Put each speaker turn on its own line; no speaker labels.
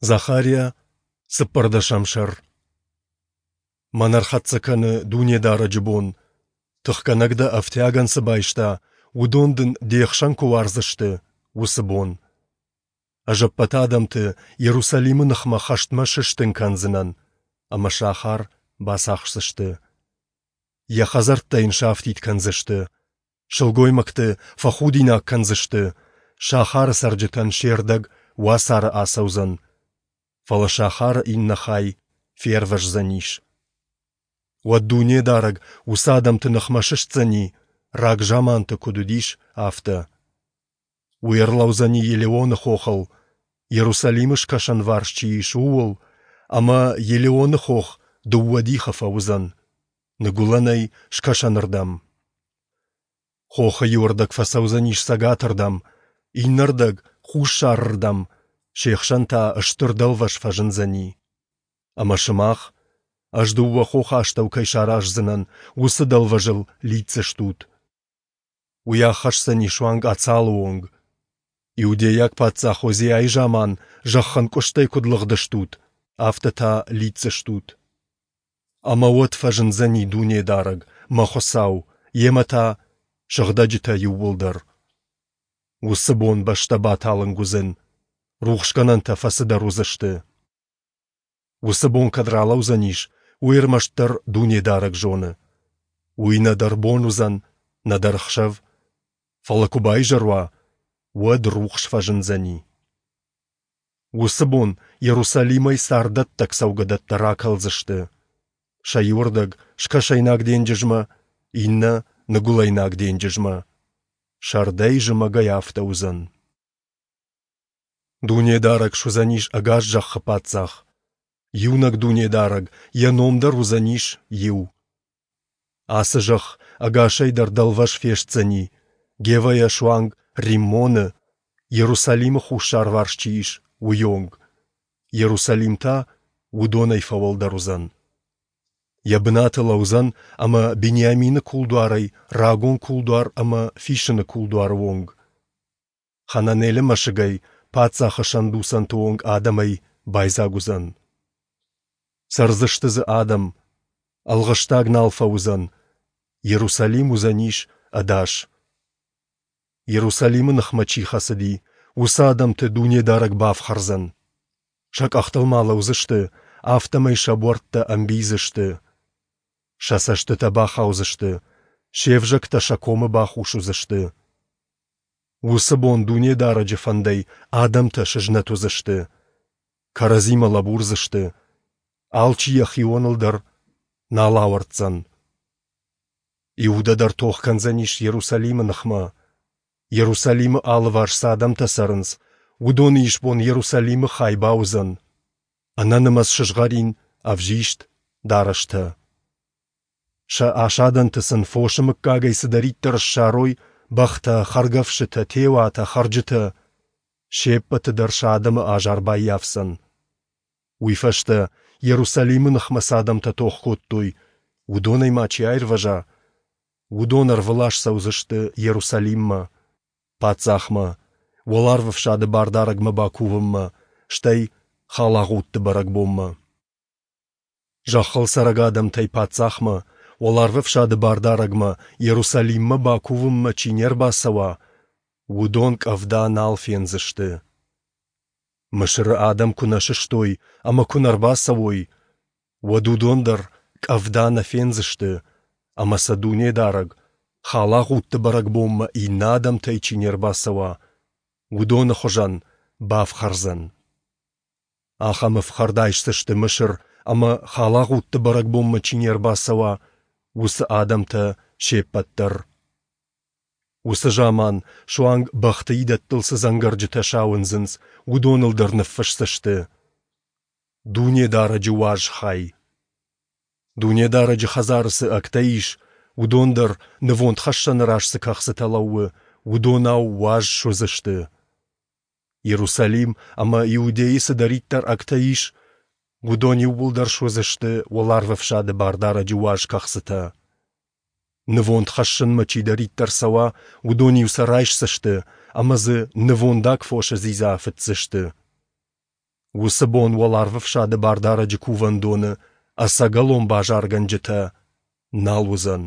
Захариа, цыппӕрдӕсӕм сӕр. Мӕн ӕрхӕццӕ кӕны Дунедарӕджы бон. Тыхгӕнӕг дӕ ӕфтиагӕн цы байста, уыдон дын де хсӕн куы уардзысты, уыцы бон. Ӕз ӕппӕт адӕмты Иерусалимы ныхмӕ хӕстмӕ сыстын кӕндзынӕн, ӕмӕ сахар бацахсдзысты. Йӕ хӕдзӕрттӕ йын сафтид кӕндзысты, Сылгоймӕгты фӕхудинаг кӕндзысты, сахары цӕрджытӕн се рдӕг уацары ацӕудзӕн, фӕлӕ сахары иннӕ хай фервӕздзӕнис. Уӕд Дунедарӕг уыцы адӕмты ныхмӕ сыстдзӕни, рагзаманты куыд уыдис, афтӕ. Уый ӕрлӕудзӕни Елеоны хохыл, Иерусалимы скӕсӕнварс чи ис, ууыл, ӕмӕ Елеоны хох дыууӕ дихы фӕуыдзӕн, ныгуылӕнӕй скӕсӕнырдӕм. Хохы иуӕрдӕг фӕцӕудзӕнис цӕгатырдӕм, иннӕрдӕг — хуссарырдӕм, се хсӕн та стыр дӕлвӕз фӕзындзӕни. Ӕмӕ сымах, ӕз дыууӕ хохы астӕу кӕй сараздзынӕн, уыцы дӕлвӕзыл лидздзыстут. Уый аххӕсдзӕни суанг Ацалы онг. Иудейаг паддзах Озиайы заман зӕххӕнкъуыстӕй куыд лыгъдыстут, афтӕ та лидздзыстут. Ӕмӕ уӕд фӕзындзӕни Дунедарӕг, мӕ Хуыцау, йемӕ та сыгъдӕджытӕ иууылдӕр. Уыцы бон бӕстӕ баталынг уыдзӕн, рухсгӕнӕнтӕ фӕцыдӕр уыдзысты. Уыцы бон кӕд ралӕудзӕнис, уый ӕрмӕстдӕр Дунедарӕг зоны. Уый нӕдӕр бон уыдзӕн, нӕдӕр ӕхсӕв, фӕлӕ куы баизӕр уа, уӕд рухс фӕзындзӕни. Уыцы бон Иерусалимӕй царддӕттӕг цӕугӕдӕттӕ ракӕлдзысты. Сӕ иуырдӕг скӕсӕйнаг денджызмӕ, иннӕ ныгуылӕйнаг денджызмӕ. Сӕрдӕй-зымӕгӕй афтӕ уыдзӕн. Дунедарӕг суыдзӕнис ӕгас зӕххы паддзах. Иунӕг Дунедарӕг, йӕ ном дӕр уыдзӕнис иу. Ацы зӕхх ӕгасӕй дӕр дӕлвӕз фестдзӕни, Гевӕйӕ суанг Риммоны, Иерусалимы хуссарварс чи ис, уыйонг. Иерусалим та уыдонӕй фӕуӕлдӕр уыдзӕн. Йӕ бынаты лӕудзӕн ӕмӕ Бениамины кулдуарӕй рагон кулдуар ӕмӕ Фисыны кулдуары онг. Хананелы мӕсыгӕй паддзахы сӕндуцӕнты онг адӕмӕй байдзаг уыдзӕн. Цӕрдзысты дзы адӕм, ӕлгъыстаг нал фӕуыдзӕн, Иерусалим уыдзӕнис ӕдас. Иерусалимы ныхмӕ чи хӕцыди, уыцы адӕмты Дунедарӕг бафхӕрдзӕн. Сӕ къӕхтыл ма лӕудзысты, афтӕмӕй сӕ буӕрттӕ ӕмбийдзысты. Сӕ цӕстытӕ бахаудзысты, се взӕгтӕ сӕ комы бахус уыдзысты. Уыцы бон Дунедарӕджы фӕндӕй адӕмтӕ сызнӕт уыдзысты, кӕрӕдзимӕ лӕбурдзысты, алчи йӕхионыл дӕр нал ауӕрддзӕн. Иудӕ дӕр тох кӕндзӕнис Иерусалимы ныхмӕ. Иерусалимы алыварс цы адӕмтӕ цӕрынц, уыдоны исбон Иерусалимы хай бауыдзӕн, ӕнӕнымӕц сызгъӕрин, ӕвзист, дарӕстӕ. Сӕ асадӕнты сын фосы мыггагӕй цыдӕриддӕр ссарой бӕхтӕ, хӕргӕфсытӕ, теуатӕ, хӕрджытӕ се ппӕты дӕр сӕ адӕмы азар баййафдзӕн. Уый фӕстӕ, Иерусалимы ныхмӕ цы адӕмтӕ тох кодтой, уыдонӕй ма чи аирвӕза, уыдон ӕрвылаз цӕудзысты Иерусалиммӕ, паддзахмӕ, уӕларвӕфсады бардарӕгмӕ бакувынмӕ, стӕй халагъудты бӕрӕгбонмӕ. Зӕххыл цӕрӕг адӕмтӕй паддзахмӕ, уӕларвӕфсады бардарӕгмӕ, Иерусалиммӕ бакувынмӕ чи не рбацӕуа, уыдон къӕвда нал фендзысты. Мысыры адӕм куы нӕ сыстой ӕмӕ куы нӕ рбацӕуой, уӕд уыдон дӕр къӕвда нӕ фендзысты, ӕмӕ сӕ Дунедарӕг, халагъудты бӕрӕгбонмӕ иннӕ адӕмтӕй чи не рбацӕуа, уыдоны хуызӕн бафхӕрдзӕн. Ахӕм ӕфхӕрд айсдзысты Мысыр ӕмӕ халагъудты бӕрӕгбонмӕ чи не рбацӕуа, уыцы адӕмтӕ се ппӕт дӕр. Уыцы заман суанг бӕхты идӕттыл цы дзӕнгӕрджытӕ сауындзынц, уыдоныл дӕр ныффысдзысты: Дунедарӕджы уаз хай. Дунедарӕджы хӕдзары цы ӕгтӕ ис, уыдон дӕр, нывондхӕссӕны раз цы кӕхцытӕ лӕууы, уыдонау уаз суыдзысты. Иерусалим ӕмӕ Иудейы цыдӕриддӕр ӕгтӕ ис, уыдон иууылдӕр суыдзысты уӕларвӕфсады Бардарӕджы уаз кӕхцытӕ. Нывонд хӕссынмӕ чидӕриддӕр цӕуа, уыдон-иу сӕ райсдзысты ӕмӕ дзы нывондаг фосы дзидза фыцдзысты. Уыцы бон Уӕларвӕфсады Бардарӕджы Кувӕндоны ӕцӕгӕлон базаргӕнджытӕ нал уыдзӕн.